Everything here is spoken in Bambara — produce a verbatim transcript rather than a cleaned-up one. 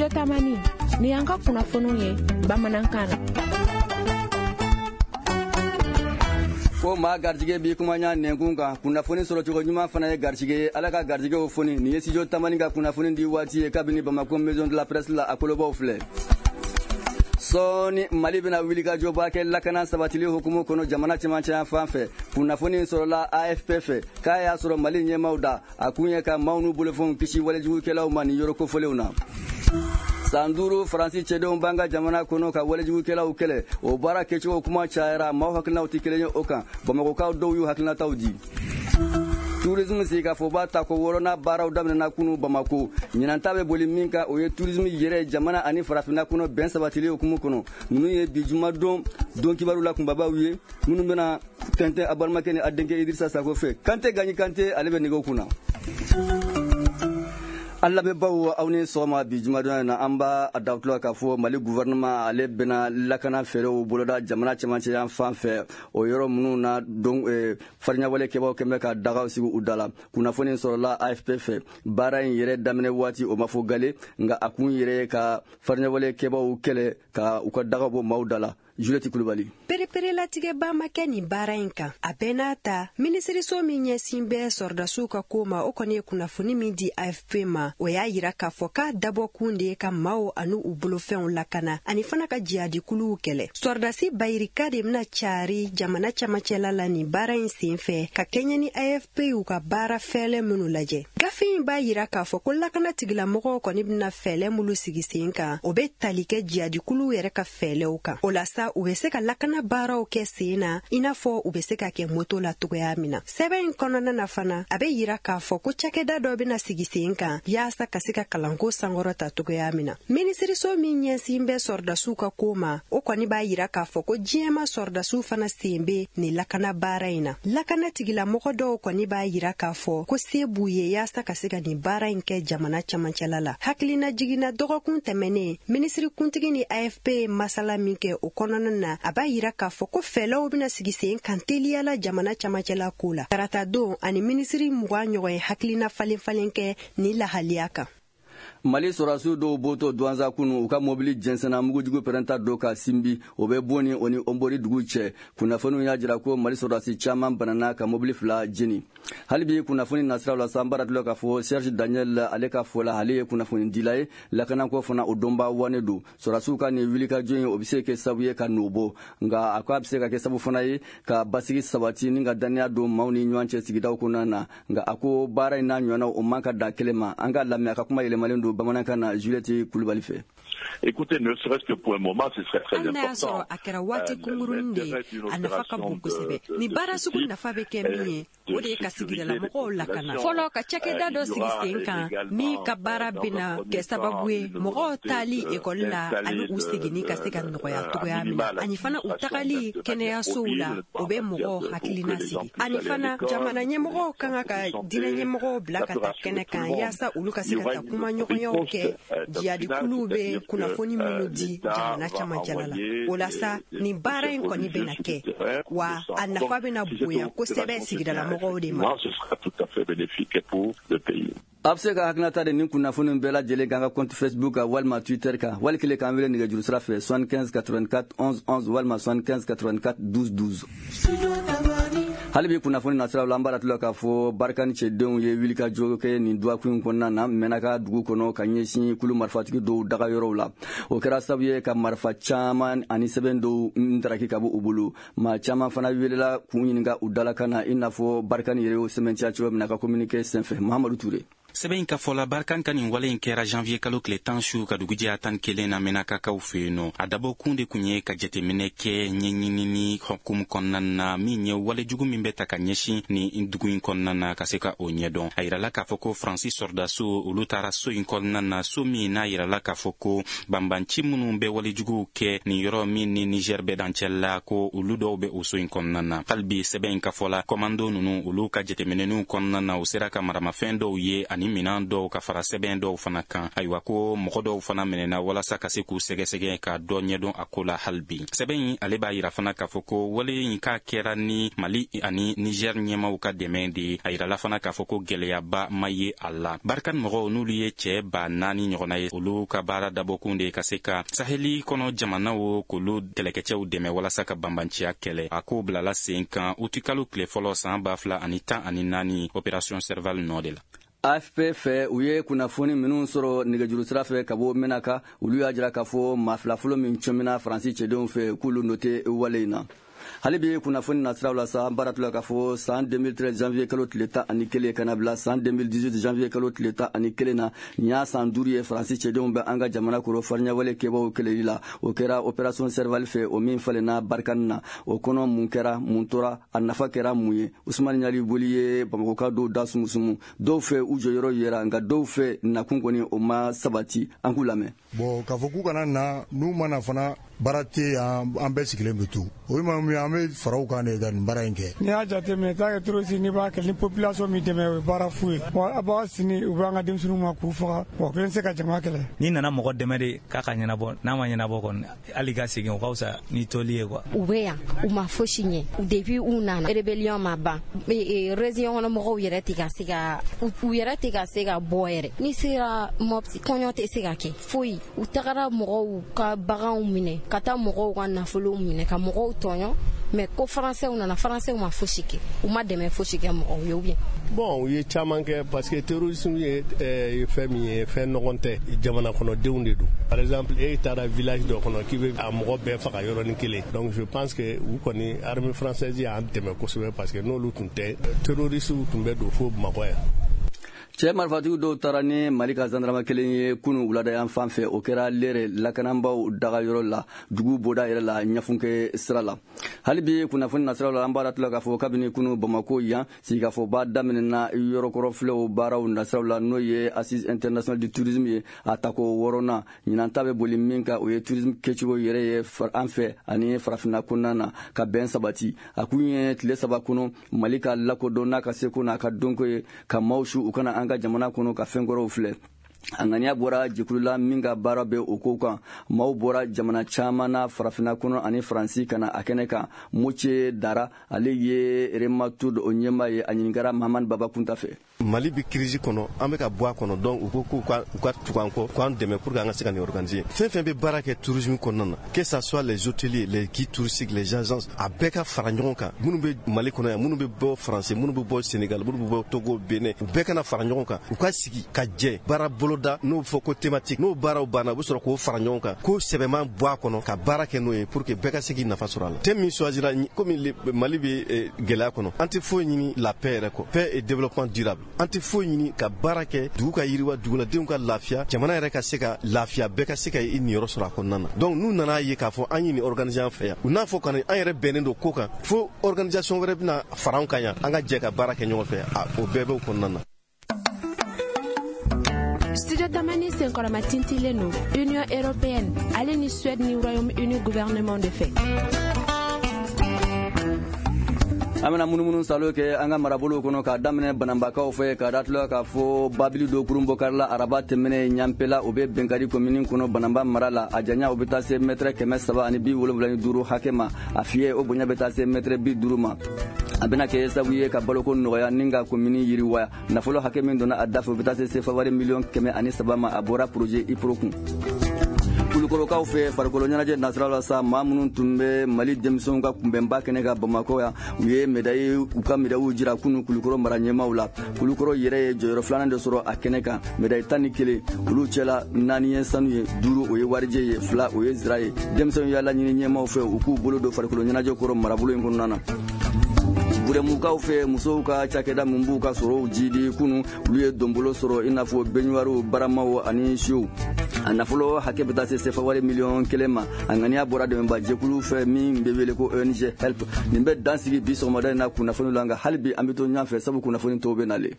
Studio Tamani, ni y'an ka kunnafoniw ye bamanankan na. Ko maa garijɛgɛ b'i kuma ɲa nɛnkun kan, kunnafoni sɔrɔcogo ɲuman fana ye garijɛgɛ ye. Ala ka garijɛgɛw foni. Nin ye Studio Tamani ka kunnafoni di waati ye kabini Bamakɔ Maison de la Presse la, a kolobaw filɛ. Sɔɔni Mali bɛna wulikajɔba kɛ lakana sabatili hukumu kɔnɔ jamana cɛmancɛ fan fɛ. Kunnafoni sɔrɔla A F P fɛ k'a y'a sɔrɔ Mali ɲɛmaaw da, a kun ye ka maaw n'u bolofɛnw kisi walejugukɛlaw ma nin yɔrɔ kofɔlenw na. San duuru Faransi cɛdenw b'an ka jamana kɔnɔ ka walejugukɛlaw kɛlɛ. O baara kɛcogo kuma cayara, maaw hakilinaw tɛ kelen ye o kan. Bamakɔkaw dɔw y'u hakilinataw di. Tourisme sigikafɔba tako wɔɔrɔnan baaraw daminɛna kunu Bamako. Ɲinan ta bɛ boli min kan, o ye tourisme yɛrɛ jamana ani farafinna kɔnɔ bɛn sabatili hukumu kɔnɔ. Ninnu ye bi jumadon don kibaru la kunbabaw ye minnu bɛna tɛntɛn a balimakɛ ni a denkɛ Idrissa Sako fɛ. Kante Gaɲi Kante, ale bɛ nɛgɛw kunna. An lamɛnbaaw, aw ni sɔgɔma. Bi jumadon na, an b'a dawutula k'a fɔ Mali gouvernement ale bɛna lakana fɛɛrɛw boloda jamana cɛmancɛ yan fan fɛ, o yɔrɔ minnu na don fariɲawale kɛbaw kɛn bɛ ka dagaw sigi u da la. Kunnafoni sɔrɔla A F P fɛ. Baara in yɛrɛ daminɛ waati o ma fɔ gale, nka a kun yɛrɛ ye ka fariɲawale kɛbaw kɛlɛ ka u ka dagaw bɔ maaw da la. Juliette Kulubali. Pereperelatigɛba ma kɛ nin baara in kan. A bɛɛ n'a ta, minisiriso min ɲɛsin bɛ sɔrɔdasiw ka ko ma, o kɔni ye kunnafoni min di A F P ma, o y'a yira k'a fɔ k'a dabɔkun de ye ka maaw ani u bolofɛnw lakana ani fana ka jihadikuluw kɛlɛ. Sɔrɔdasi bayirika de bɛna cari jamana camancɛla la nin baara in sen fɛ ka kɛɲɛ ni A F P y'u ka baara fɛɛlɛ minnu lajɛ. Gafe in b'a yira k'a fɔ ko lakana tigilamɔgɔw kɔni bɛna fɛɛlɛ minnu sigi sen kan, o bɛ tali kɛ jihadikuluw yɛrɛ ka fɛɛlɛw kan. O la sa, u bɛ se ka lakana baaraw kɛ sen na i n'a fɔ u bɛ se ka kɛ moto la cogoya min na. Sɛbɛn in kɔnɔna na fana, a bɛ yira k'a fɔ ko cakɛda dɔ bɛna sigi sen kan yaasa ka se ka kalanko sankɔrɔta cogoya min na. Minisiriso min ɲɛsin bɛ sɔrɔdasiw ka ko ma, o kɔni b'a yira k'a fɔ ko diɲɛma sɔrɔdasiw fana sen bɛ nin lakana baara in na. Lakana tigilamɔgɔ dɔw kɔni b'a yira k'a fɔ ko se b'u ye yaasa ka se ka nin baara in kɛ jamana camancɛla la. Hakilina jiginna dɔgɔkun tɛmɛnen, minisirikuntigi ni A F P ye masala min kɛ o kɔnɔna na, a b'a yira k'a fɔ ko fɛɛlɛw bɛna sigi sen kan teliya la jamana camancɛla ko la. Tarata don ani minisiri mugan ɲɔgɔn ye hakilina falen falen kɛ nin lahaliya kan. Mali sɔrɔdasiw dɔw bɔtɔ Duwanza kunu, u ka mobili jɛnsɛnna mugujugu pɛrɛnta dɔ ka Sinbi, o bɛ Boni o ni Onbori dugu cɛ. Kunnafoniw y'a jira ko Mali sɔrɔdasi caman banana ka mobili fila jeni. Hali bi kunnafoni nasiraw la, san baara tulɔ k'a fɔ Serge Daniel ale ka fɔ la, ale ye kunnafonidila ye, lakanako fana o dɔnbaa wane don. Sɔrɔdasiw ka nin wulikajɔ in, o bɛ se kɛ sababu ye ka nɔ bɔ, nka a ko a bɛ se ka kɛ sababu fana ye ka basigi sabati ni ka dannaya don maaw ni ɲɔgɔn cɛ sigidaw kɔnɔna na. Nka a ko baara in n'a ɲɔgɔnna, o man ka dan kelen ma. An ka lamɛn a ka kuma yɛlɛmalen don bamanankan na Juliette Kulubali fɛ. Écoutez, ne serait-ce que pour un moment, ce serait très important. A kɛra waati kunkurunin de ye, a nafa ka bon kosɛbɛ. Nin baara sugu nafa bɛ kɛ min ye, o de ye ka sigidalamɔgɔw lakana. Fɔlɔ, ka cakɛda dɔ sigi sen kan min ka baara bɛna kɛ sababu ye mɔgɔw taali ekɔli la ani u seginni ka se ka nɔgɔya cogoya min na, ani fana u tagali kɛnɛyasow la, o bɛ mɔgɔw hakilina sigi. Ani fana jamana ɲɛmɔgɔw kan ka diinɛ ɲɛmɔgɔw bila ka taa kɛnɛ kan yaasa olu ka se ka taa kumaɲɔgɔnyaw kɛ jihadikuluw bɛ kunnafoni minnu di jamana camancɛla la. O la sa, nin baara in kɔni bɛna kɛ, wa a nafa bɛna bonya kosɛbɛ sigidalamɔgɔw de ma. A bɛ se ka hakilinata de nin kunnafoni bɛɛ lajɛlen kan ka compte Facebook kan walima Twitter kan, wali kelen k'an wele nɛgɛjuru sira fɛ soixante-quinze quatre-vingt-quatre onze onze walima soixante-quinze quatre-vingt-quatre douze douze. Hali bi kunnafoni nasiraw la, an b'a latula k'a fɔ Barikani cɛdenw ye wulikajɔ kɛ nin dɔgɔkun in kɔnɔna na Mɛnaka dugu kɔnɔ ka ɲɛsin kulu marifatigi dɔw daga yɔrɔw la. O kɛra sababu ye ka marifa caman ani sɛbɛn dɔw ntaraki ka bɔ u bolo. Maa caman fana welela k'u ɲininka u dalakan na, i n'a fɔ Barikani yɛrɛ y'o sɛmɛntiya cogo min na ka communiqué senfɛ. Mahamadu Ture. Sɛbɛn in ka fɔ la, Barkan ka nin wale in kɛra janvier kalo tile tan su ka dugujɛ tan kelen na Mɛnakakaw fɛ yen nɔ. A dabɔkun de kun ye ka jateminɛ kɛ ɲɛɲinini hukumu kɔnɔna na min ye walejugu min bɛ ta ka ɲɛsin nin dugu in kɔnɔna na ka se ka o ɲɛdɔn. A yirala k'a fɔ ko Faransi sɔrɔdasiw olu taara so in kɔnɔna na, so min n'a yirala k'a fɔ ko banbanci minnu bɛ walejuguw kɛ nin yɔrɔ min ni Niger bɛ dancɛ la, ko olu dɔw bɛ o so in kɔnɔna na. Hali bi sɛbɛn in ka fɔ la, kɔmando ninnu olu ka jateminɛniw kɔnɔna na, u sera ka maramafɛn dɔw ye ani ani minan dɔw ka fara sɛbɛn dɔw fana kan. Ayiwa, ko mɔgɔ dɔw fana minɛna walasa ka se k'u sɛgɛsɛgɛ ka dɔ ɲɛdɔn a ko la hali bi. Sɛbɛn in ale b'a yira fana k'a fɔ ko wale in k'a kɛra ni Mali ani Niger ɲɛmaw ka dɛmɛ de ye. A yirala fana k'a fɔ ko gɛlɛyaba ma ye a la. Barkhane mɔgɔw, n'olu ye cɛɛ ba naani ɲɔgɔnna ye, olu ka baara dabɔkun de ye ka se ka saheli kɔnɔ jamanaw k'olu kɛlɛkɛcɛw dɛmɛ walasa ka banbanciya kɛlɛ. A k'o bilala sen kan utikalo tile fɔlɔ san ba fila ani tan ani naani, Opération Serval nɔ de la. A F P fɛ, u ye kunnafoni minnu sɔrɔ nɛgɛjuru sira fɛ ka bɔ Menaka, olu y'a jira k'a fɔ maa fila fɔlɔ min cɔmina Faransi cɛdenw fɛ, k'olu nɔ tɛ wale in na. Hali bi kunnafoni nasiraw la sa, an baara tula k'a fɔ san deux mille treize janvier kalo tile tan ani kelen ka na bila san deux mille dix-huit janvier kalo tile tan ani kelen na, nin y'a san duuru ye Faransi cɛdenw bɛ an ka jamana kɔrɔ fariɲawale kɛbaw kɛlɛli la. O kɛra Opération Serval fɛ, o min falenna Barkhane na. O kɔnɔ, mun kɛra, mun tora, a nafa kɛra mun ye? Usumani Ɲali Boli ye Bamakɔka dɔw da sumusumu. Dɔw fɛ, u jɔyɔrɔ yera, nka dɔw fɛ, nakun kɔni o ma sabati. An k'u lamɛn. Bon, k'a fɔ k'u kana na, n'u ma na fana, baara tɛ yan, an bɛɛ sigilen bɛ to. O ye maa min ye, an bɛ fara u kan de ka nin baara in kɛ. N'i y'a jateminɛ, taa kɛ terroriste, n'i b'a kɛ ni population min dɛmɛ, o ye baara fu ye. Wa a b'a sini, u bɛ an ka denmisɛnninw ma k'u faga, wa kelen tɛ se ka jama kɛlɛ. N'i nana mɔgɔ dɛmɛ de k'a ka ɲɛnabɔ, n'a ma ɲɛnabɔ kɔni, hali ka segin, o ka fisa ni toli ye quoi. U bɛ yan, u ma fosi ɲɛ. Depuis u nana, rébellion ma ban. Région kɔnɔ mɔgɔw yɛrɛ tɛ ka se ka u yɛrɛ tɛ ka se ka bɔ yɛrɛ. N'i sera Mopti, kɔɲɔ tɛ se ka kɛ foyi. U tagara mɔgɔw ka baganw minɛ, ka taa mɔgɔw ka nafolow minɛ, ka mɔgɔw tɔɲɔ. Mais ko Faransɛw nana, Faransɛw ma fosi kɛ, u ma dɛmɛ fosi kɛ mɔgɔw ye ou bien. Bon, u ye caman kɛ, parce que terrorisme ye fɛn min ye, fɛn nɔgɔn tɛ, jamana kɔnɔdenw de don. Par exemple, e taara village dɔ kɔnɔ k'i bɛ a mɔgɔ bɛɛ faga yɔrɔnin kelen. Donc je pense que u kɔni, armée française y'an dɛmɛ kosɛbɛ, parce que n'olu tun tɛ, terroristes tun bɛ don fo Bamakɔ yan. Cɛ marifatigiw dɔw taara ni Mali ka zandarama kelen ye kunu wulada yan fan fɛ. O kɛra Lere lakananbaw dagayɔrɔ la, dugu boda yɛrɛ la, Ɲafunke sira la. Hali bi kunnafoni nasiraw la, an b'a tila k'a fɔ kabini kunu Bamako yan, sigikafɔba daminɛna yɔrɔkɔrɔ filɛw baaraw nasiraw la, n'o ye Assise international du tourisme ye, a tako wɔɔrɔnan. Ɲinan ta bɛ boli min kan, o ye tourisme kɛcogo yɛrɛ ye an fɛ ani farafinna kɔnɔna na, ka bɛn sabati. A kun ye tile saba kɔnɔ, Mali ka lakodɔn n'a ka seko n'a ka dɔnko ye, ka maaw su u kana an ka jamana kɔnɔ ka fɛn kɔrɔw filɛ. A ŋaniya bɔra jɛkulu la min ka baara bɛ o ko kan. Maaw bɔra jamana caman na farafinna kɔnɔ ani Faransi ka na a kɛnɛ kan. Moce Dara, ale ye Rematour o ɲɛmaa ye. A ɲininkara Mahamani Baba Kunta fɛ. Mali bɛ crise kɔnɔ, an bɛ ka bɔ a kɔnɔ. Donc u ko k'u ka u ka tugu an kɔ, k'an dɛmɛ pour que an ka se ka nin organiser. Fɛn fɛn bɛ baara kɛ tourisme kɔnɔna na, que ça soit les hôteliers, les guides touristiques, les agences, a bɛɛ ka fara ɲɔgɔn kan. Minnu bɛ Mali kɔnɔ yan, minnu bɛ bɔ Faransi, minnu bɛ bɔ Sénégal, minnu bɛ bɔ Togo, Benin, u bɛɛ kana fara ɲɔgɔn kan, u ka sigi ka jɛ baara boloda, n'o bɛ fɔ ko thématique. N'o baaraw banna, u bɛ sɔrɔ k'o fara ɲɔgɔn kan, k'o sɛbɛnman bɔ a kɔnɔ, ka baara kɛ n'o ye pour que bɛɛ ka se k'i nafa sɔrɔ a la. Thème min choisira, komi Mali bɛ gɛlɛya kɔnɔ, an tɛ foyi ɲini la paix yɛrɛ kɔ, paix et développement durable. An tɛ foyi ɲini ka baara kɛ dugu ka yiriwa, duguladenw ka lafiya, jamana yɛrɛ ka se ka lafiya, bɛɛ ka se ka i niyɔrɔ sɔrɔ a kɔnɔna na. Donc n'u nana ye k'a fɔ an ye nin organiser an fɛ yan, u n'a fɔ ka an yɛrɛ bɛnnen don ko kan, fo organisation wɛrɛ bɛna fara an kan yan, an ka jɛ ka baara kɛ ɲɔgɔn fɛ, o bɛɛ b'o kɔnɔna na. Studio Tamani senkɔrɔma tintilen don Union européenne ale ni Suède ni Royaume-Uni gouvernement de fɛ. An bɛna munumunu salo kɛ an ka marabolow kɔnɔ, k'a daminɛ Bananbakaw fɛ, k'a datula k'a fɔ babili dɔ kurun bɔ karila araba tɛmɛnɛ Ɲanpela, o bɛ Bɛnkadi komini kɔnɔ, Bananba mara la. A janya, o bɛ taa se mɛtɛrɛ kɛmɛ saba ani bi wolonwula ni duuru hakɛ ma. A fiyɛ, o bonya bɛ taa se mɛtɛrɛ bi duuru ma. A bɛna kɛ sababu ye ka baloko nɔgɔya ni ka komini yiriwa. Nafolo hakɛ min donna a dafɛ, o bɛ taa se sefa wari miliyɔn kɛmɛ ani saba ma. A bɔra projet IPRO kun. Kulukɔrɔkaw fɛ, farikolo ɲɛnajɛ nasira la sa, maa minnu tun bɛ Mali denmisɛnw ka kunbɛnba kɛnɛ ka Bamakɔ yan, u ye médaille, u ka médaille jira kunu Kulukɔrɔ mara ɲɛmaw la. Kulukɔrɔ yɛrɛ ye jɔyɔrɔ filanan de sɔrɔ a kɛnɛ kan, médaille tan ni kelen. Olu cɛla, naani ye sanu ye, duuru o ye warijɛ ye, fila o ye zira ye. Denmisɛnw y'a laɲini ɲɛmaw fɛ u k'u bolo don farikolo ɲɛnajɛ kɔrɔ marabolo in kɔnɔna na. Burɛmukaw fɛ, musow ka cakɛda min b'u ka sɔrɔw jidi, kunu olu ye donbolo sɔrɔ, i n'a fɔ beɲuwariw, baramaw ani siw. A nafolo hakɛ bɛ taa se sefa wari miliyɔn kelen ma. A ŋaniya bɔra dɛmɛba jɛkulu fɛ min bɛ wele ko O N G HELP. Nin bɛ dan sigi bi sɔgɔmada in na kunnafoni la, nka hali bi an bɛ to ɲɔgɔn fɛ, sabu kunnafoni tɔw bɛ nalen.